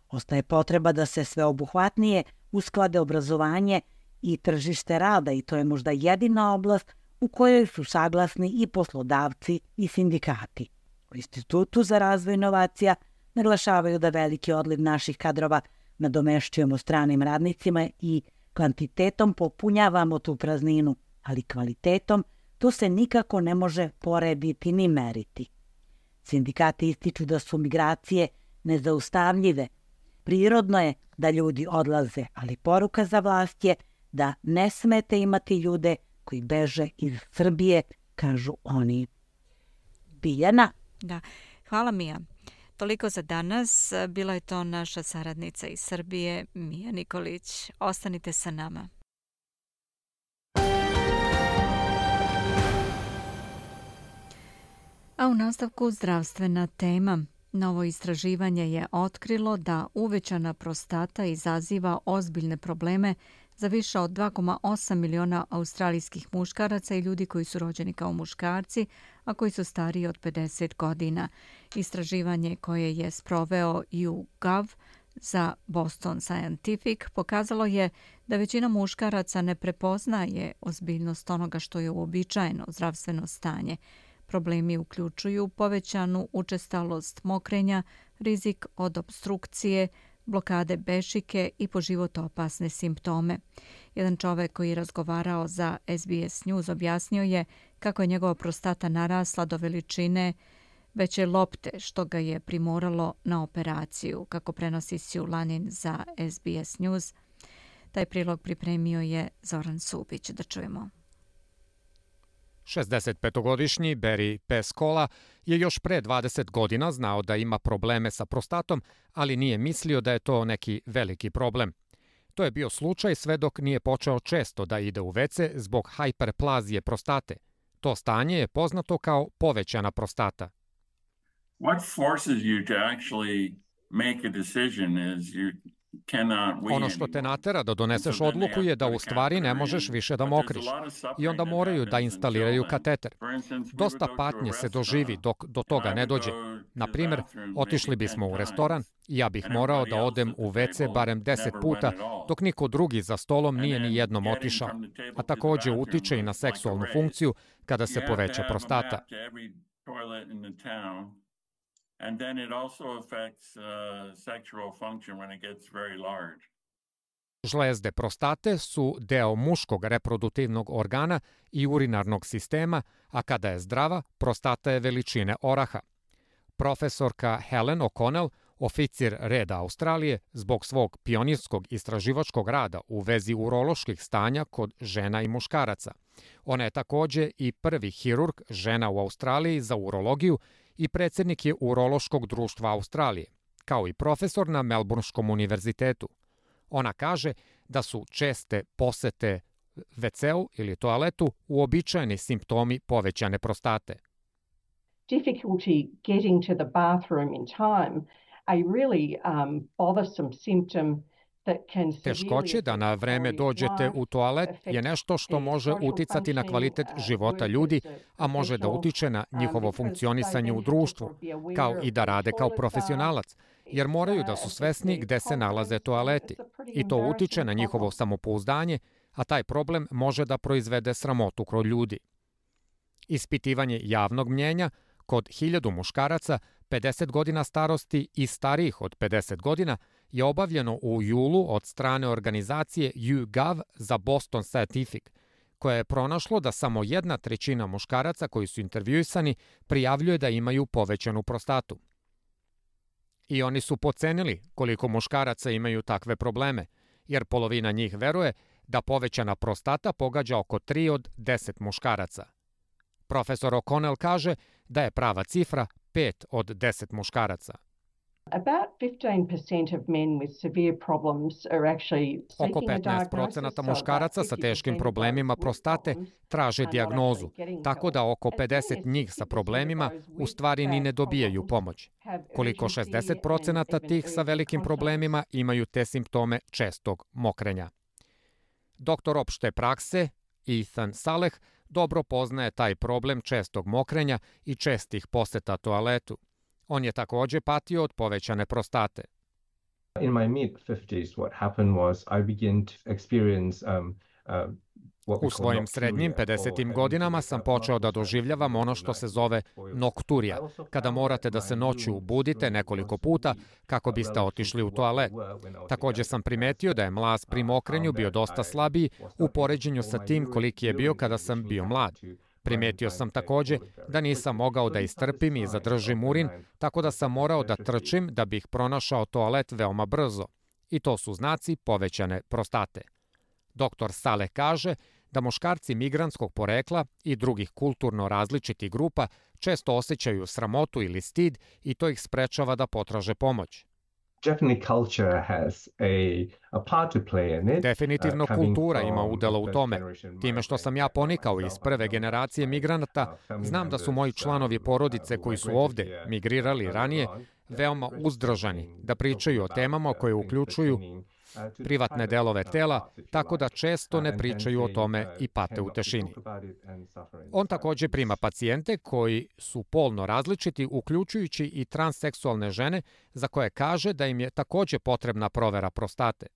Ostaje potreba da se sveobuhvatnije usklade obrazovanje i tržište rada i to je možda jedina oblast u kojoj su saglasni i poslodavci i sindikati. U Institutu za razvoj inovacija naglašavaju da veliki odliv naših kadrova nadomešćujemo stranim radnicima i kvantitetom popunjavamo tu prazninu, ali kvalitetom to se nikako ne može porediti ni meriti. Sindikati ističu da su migracije nezaustavljive. Prirodno je da ljudi odlaze, ali poruka za vlast je da ne smete imati ljude koji beže iz Srbije, kažu oni. Biljana? Da, hvala Mija. Toliko za danas. Bila je to naša saradnica iz Srbije, Mija Nikolić. Ostanite sa nama. A u nastavku zdravstvena tema. Novo istraživanje je otkrilo da uvećana prostata izaziva ozbiljne probleme za više od dva zarez osam miliona australijskih muškaraca i ljudi koji su rođeni kao muškarci, a koji su stariji od pedeset godina. Istraživanje koje je sproveo YouGov za Boston Scientific pokazalo je da većina muškaraca ne prepoznaje ozbiljnost onoga što je uobičajeno zdravstveno stanje. Problemi uključuju povećanu učestalost mokrenja, rizik od opstrukcije, blokade bešike i po život opasne simptome. Jedan čovek koji je razgovarao za S B S News objasnio je kako je njegova prostata narasla do veličine veće lopte, što ga je primoralo na operaciju, kako prenosi Sue Lanin za S B S News. Taj prilog pripremio je Zoran Subić. Da čujemo. šezdesetpetogodišnji Barry Pescola je još pre dvadeset godina znao da ima probleme sa prostatom, ali nije mislio da je to neki veliki problem. To je bio slučaj sve dok nije počeo često da ide u ve ce zbog hiperplazije prostate. To stanje je poznato kao povećana prostata. What forces you to actually make a decision is you Ono što te natera da doneseš odluku je da u stvari ne možeš više da mokriš i onda moraju da instaliraju kateter. Dosta patnje se doživi dok do toga ne dođe. Na primjer, otišli bismo u restoran i ja bih morao da odem u ve ce barem deset puta, dok niko drugi za stolom nije ni jednom otišao. A takođe utiče i na seksualnu funkciju kada se poveća prostata. And then it also affects uh, sexual function when it gets very large. Žlezde prostate su deo muškog reproduktivnog organa i urinarnog sistema, a kada je zdrava, prostata je veličine oraha. Profesorka Helen O'Connell, oficir reda Australije, zbog svog pionirskog istraživačkog rada u vezi uroloških stanja kod žena i muškaraca. Ona je takođe i prvi hirurg žena u Australiji za urologiju i predsjednik je Urološkog društva Australije, kao i profesor na Melbourneskom univerzitetu. Ona kaže da su česte posete ve ce-u ili toaletu uobičajeni simptomi povećane prostate. Difficulty getting to the bathroom in time, a really um, bothersome symptom. Teškoće da na vreme dođete u toalet je nešto što može uticati na kvalitet života ljudi, a može da utiče na njihovo funkcionisanje u društvu, kao i da rade kao profesionalac, jer moraju da su svesni gde se nalaze toaleti. I to utiče na njihovo samopouzdanje, a taj problem može da proizvede sramotu kod ljudi. Ispitivanje javnog mnjenja kod hiljadu muškaraca pedeset godina starosti i starijih od pedeset godina je obavljeno u julu od strane organizacije YouGov za Boston Scientific, koja je pronašlo da samo jedna trećina muškaraca koji su intervjuisani prijavljuje da imaju povećanu prostatu. I oni su pocenili koliko muškaraca imaju takve probleme, jer polovina njih veruje da povećana prostata pogađa oko tri od deset muškaraca. Profesor O'Connell kaže da je prava cifra pet od deset muškaraca. Oko petnaest procenata muškaraca sa teškim problemima prostate traže dijagnozu, tako da oko pedeset njih sa problemima u stvari ni ne dobijaju pomoć. Koliko šezdeset procenata tih sa velikim problemima imaju te simptome čestog mokrenja. Doktor opšte prakse Ethan Saleh dobro poznaje taj problem čestog mokrenja i čestih poseta toaletu. On je takođe patio od povećane prostate. In my mid fifties what happened was I began to experience um, uh, U svojim srednjim pedesetim godinama sam počeo da doživljavam ono što se zove nokturija, kada morate da se noću budite nekoliko puta kako biste otišli u toalet. Takođe sam primetio da je mlaz pri mokrenju bio dosta slabiji u poređenju sa tim koliki je bio kada sam bio mlad. Primetio sam takođe da nisam mogao da istrpim i zadržim urin, tako da sam morao da trčim da bih pronašao toalet veoma brzo. I to su znaci povećane prostate. Doktor Saleh kaže da muškarci migrantskog porekla i drugih kulturno različitih grupa često osjećaju sramotu ili stid i to ih sprečava da potraže pomoć. Definitivno kultura ima udela u tome. Time što sam ja ponikao iz prve generacije migranata, znam da su moji članovi porodice koji su ovde migrirali ranije veoma uzdržani da pričaju o temama koje uključuju privatne delove tela, tako da često ne pričaju o tome i pate u tešini. On takođe prima pacijente koji su polno različiti, uključujući i transseksualne žene, za koje kaže da im je takođe potrebna provera prostate.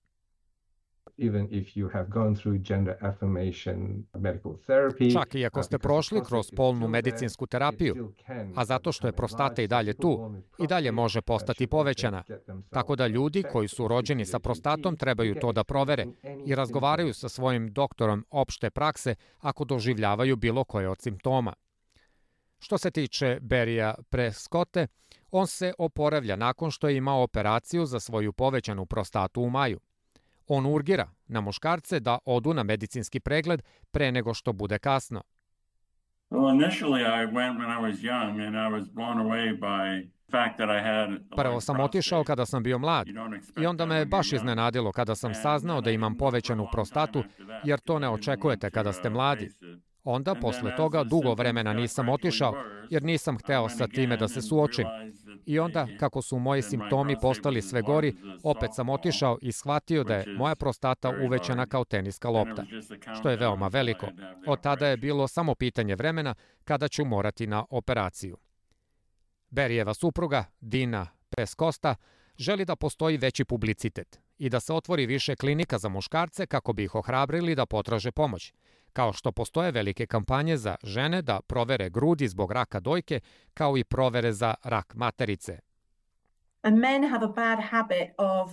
Čak i ako ste prošli kroz polnu medicinsku terapiju, a zato što je prostata i dalje tu, i dalje može postati povećana. Tako da ljudi koji su rođeni sa prostatom trebaju to da provere i razgovaraju sa svojim doktorom opšte prakse ako doživljavaju bilo koje od simptoma. Što se tiče Barrya Prescotte, on se oporavlja nakon što je imao operaciju za svoju povećanu prostatu u maju. On urgira na muškarce da odu na medicinski pregled pre nego što bude kasno. Prvo sam otišao kada sam bio mlad i onda me baš iznenadilo kada sam saznao da imam povećanu prostatu, jer to ne očekujete kada ste mladi. Onda, posle toga, dugo vremena nisam otišao, jer nisam hteo sa time da se suočim. I onda, kako su moji simptomi postali sve gori, opet sam otišao i shvatio da je moja prostata uvećana kao teniska lopta, što je veoma veliko. Od tada je bilo samo pitanje vremena kada ću morati na operaciju. Berijeva supruga, Dina Peskosta, želi da postoji veći publicitet i da se otvori više klinika za muškarce kako bi ih ohrabrili da potraže pomoć, kao što postoje velike kampanje za žene da provere grudi zbog raka dojke, kao i provere za rak materice. And men have a bad habit of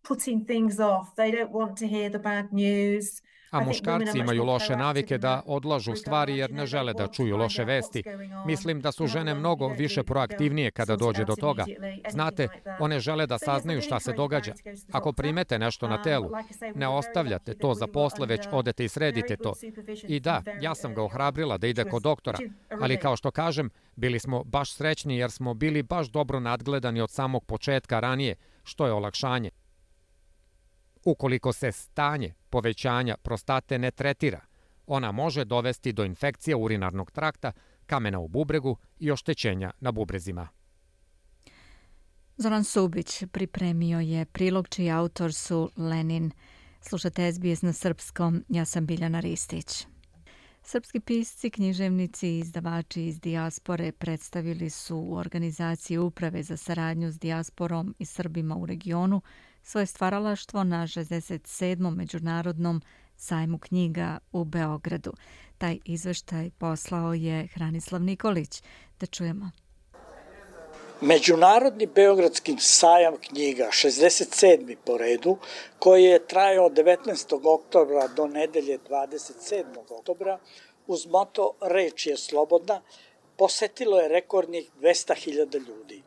putting things off. They don't want to hear the bad news. A muškarci imaju loše navike da odlažu stvari jer ne žele da čuju loše vesti. Mislim da su žene mnogo više proaktivnije kada dođe do toga. Znate, one žele da saznaju šta se događa. Ako primete nešto na telu, ne ostavljate to za posle, već odete i sredite to. I da, ja sam ga ohrabrila da ide kod doktora, ali kao što kažem, bili smo baš srećni jer smo bili baš dobro nadgledani od samog početka ranije, što je olakšanje. Ukoliko se stanje povećanja prostate ne tretira, ona može dovesti do infekcije urinarnog trakta, kamena u bubregu i oštećenja na bubrezima. Zoran Subić pripremio je prilog čiji autor su Lenin. Slušate S B S na srpskom, ja sam Biljana Ristić. Srpski pisci, književnici i izdavači iz dijaspore predstavili su u organizaciji Uprave za saradnju s dijasporom i Srbima u regionu svoje stvaralaštvo na šezdeset sedmom međunarodnom sajmu knjiga u Beogradu. Taj izveštaj poslao je Hranislav Nikolić. Da čujemo. Međunarodni beogradski sajam knjiga, šezdeset sedmi po redu, koji je trajao od devetnaestog oktobra do nedelje dvadeset sedmog oktobra, uz moto Reč je slobodna, posetilo je rekordnih dvesta hiljada ljudi.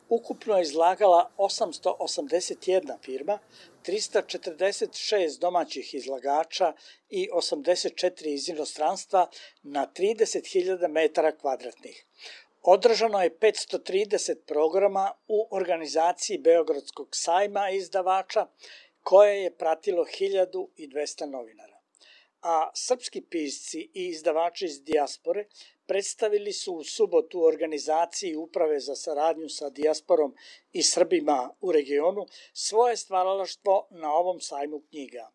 Ukupno je izlagala osamsto osamdeset jedna firma, trista četrdeset šest domaćih izlagača i osamdeset četiri iz inostranstva na trideset hiljada metara kvadratnih. Održano je petsto trideset programa u organizaciji Beogradskog sajma izdavača, koje je pratilo hiljadu dvesta novinara. A srpski pisci i izdavači iz dijaspore predstavili su u subotu u organizaciji Uprave za saradnju sa dijasporom i Srbima u regionu svoje stvaralaštvo na ovom sajmu knjiga.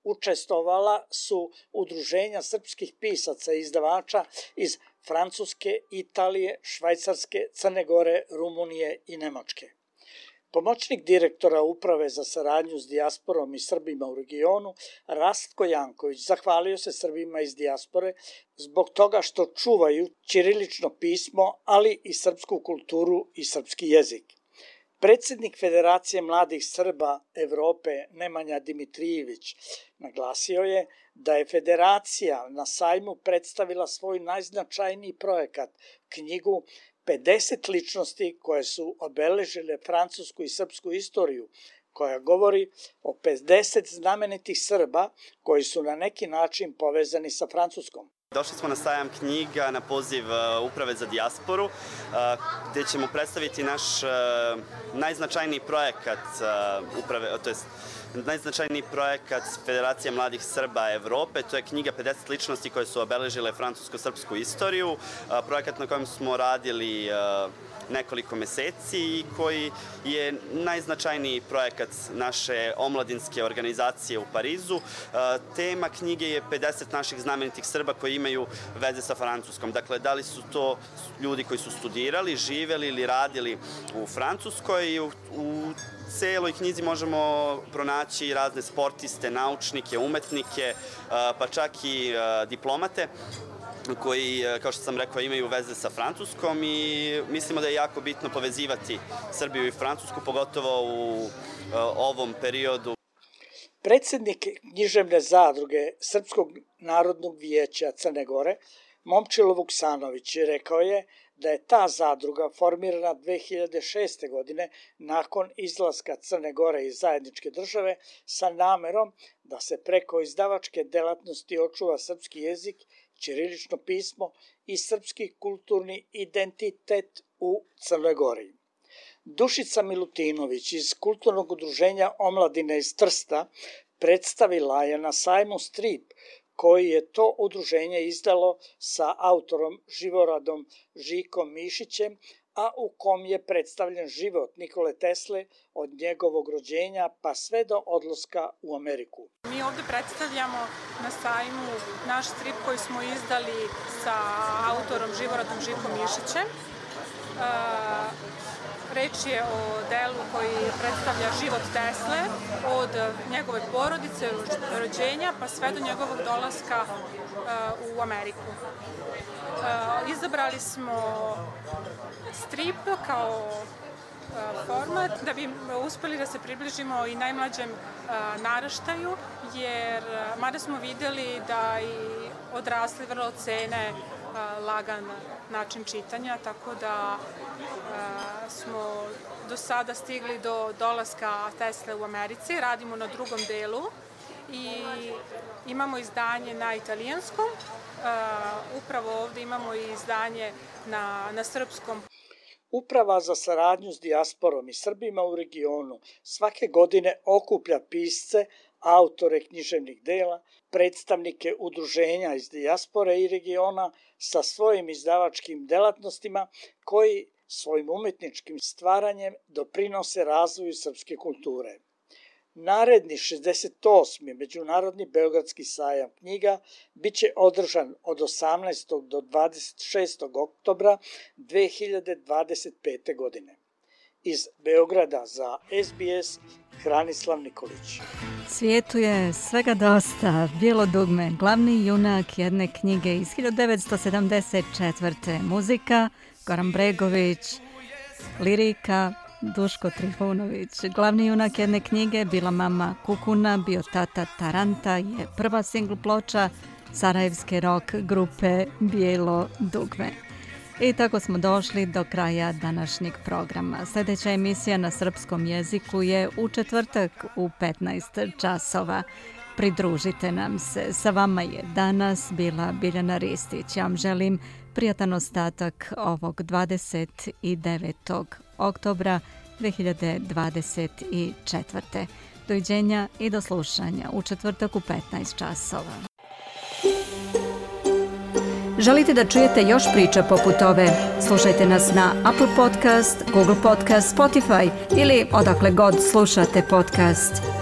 Učestvovala su udruženja srpskih pisaca i izdavača iz Francuske, Italije, Švajcarske, Crne Gore, Rumunije i Nemačke. Pomoćnik direktora Uprave za saradnju s dijasporom i Srbima u regionu, Rastko Janković, zahvalio se Srbima iz dijaspore zbog toga što čuvaju ćirilično pismo, ali i srpsku kulturu i srpski jezik. Predsednik Federacije mladih Srba Evrope Nemanja Dimitrijević naglasio je da je Federacija na sajmu predstavila svoj najznačajniji projekat, knjigu pedeset ličnosti koje su obeležile francusku i srpsku istoriju, koja govori o pedeset znamenitih Srba koji su na neki način povezani sa Francuskom. Došli smo na sajam knjiga na poziv Uprave za dijasporu, gde ćemo predstaviti naš najznačajniji projekat uprave, to jest najznačajniji projekat Federacije mladih Srba Evrope. To je knjiga pedeset ličnosti koje su obeležile francusko-srpsku istoriju. Projekat na kojem smo radili nekoliko meseci i koji je najznačajniji projekat naše omladinske organizacije u Parizu. Tema knjige je pedeset naših znamenitih Srba koji imaju veze sa Francuskom. Dakle, da li su to ljudi koji su studirali, živeli ili radili u Francuskoj i u, u celoj knjizi možemo pronaći razne sportiste, naučnike, umetnike, pa čak i diplomate koji, kao što sam rekao, imaju veze sa Francuskom i mislimo da je jako bitno povezivati Srbiju i Francusku, pogotovo u ovom periodu. Predsednik književne zadruge Srpskog narodnog vijeća Crne Gore, Momčilo Vuksanović, rekao je da je ta zadruga formirana dve hiljade šeste. godine nakon izlaska Crne Gore iz zajedničke države sa namerom da se preko izdavačke delatnosti očuva srpski jezik, ćirilično pismo i srpski kulturni identitet u Crnoj Gori. Dušica Milutinović iz Kulturnog udruženja omladine iz Trsta predstavila je na sajmu strip koji je to udruženje izdalo sa autorom živoradom Žikom Mišićem, a u kom je predstavljen život Nikole Tesle od njegovog rođenja pa sve do odlaska u Ameriku. Mi ovde predstavljamo na sajmu naš strip koji smo izdali sa autorom živoradom Žikom Mišićem. Reč je o delu koji predstavlja život Tesle od njegove porodice, rođenja pa sve do njegovog dolaska u Ameriku. Izabrali smo strip kao format da bi uspeli da se približimo i najmlađem naraštaju, jer mada smo videli da i odrasli vrlo cene lagan način čitanja, tako da smo do sada stigli do dolaska Tesle u Americi, radimo na drugom delu i imamo izdanje na italijanskom, upravo ovde imamo i izdanje na, na srpskom. Uprava za saradnju s dijasporom i Srbima u regionu svake godine okuplja pisce, autore književnih dela, predstavnike udruženja iz dijaspore i regiona sa svojim izdavačkim delatnostima koji svojim umetničkim stvaranjem doprinose razvoju srpske kulture. Naredni šezdeset osmi Međunarodni Beogradski sajam knjiga biće održan od osamnaestog do dvadeset šestog oktobra dve hiljade dvadeset pete. godine. Iz Beograda za S B S, Hranislav Nikolić. Svijetu je svega dosta. Bijelo dugme, glavni junak jedne knjige iz hiljadu devetsto sedamdeset četvrte. Muzika, Goran Bregović, lirika, Duško Trifunović. Glavni junak jedne knjige bila mama Kukuna, bio tata Taranta, je prva singl ploča sarajevske rock grupe Bijelo dugme. I tako smo došli do kraja današnjeg programa. Sljedeća emisija na srpskom jeziku je u četvrtak u petnaest časova. Pridružite nam se. Sa vama je danas bila Biljana Ristić. Ja vam želim prijatan ostatak ovog dvadeset devetog oktobra dve hiljade dvadeset četvrte. Doviđenja i do slušanja u četvrtak u petnaest časova. Želite da čujete još priča poput ove? Slušajte nas na Apple Podcast, Google Podcast, Spotify ili odakle god slušate podcast.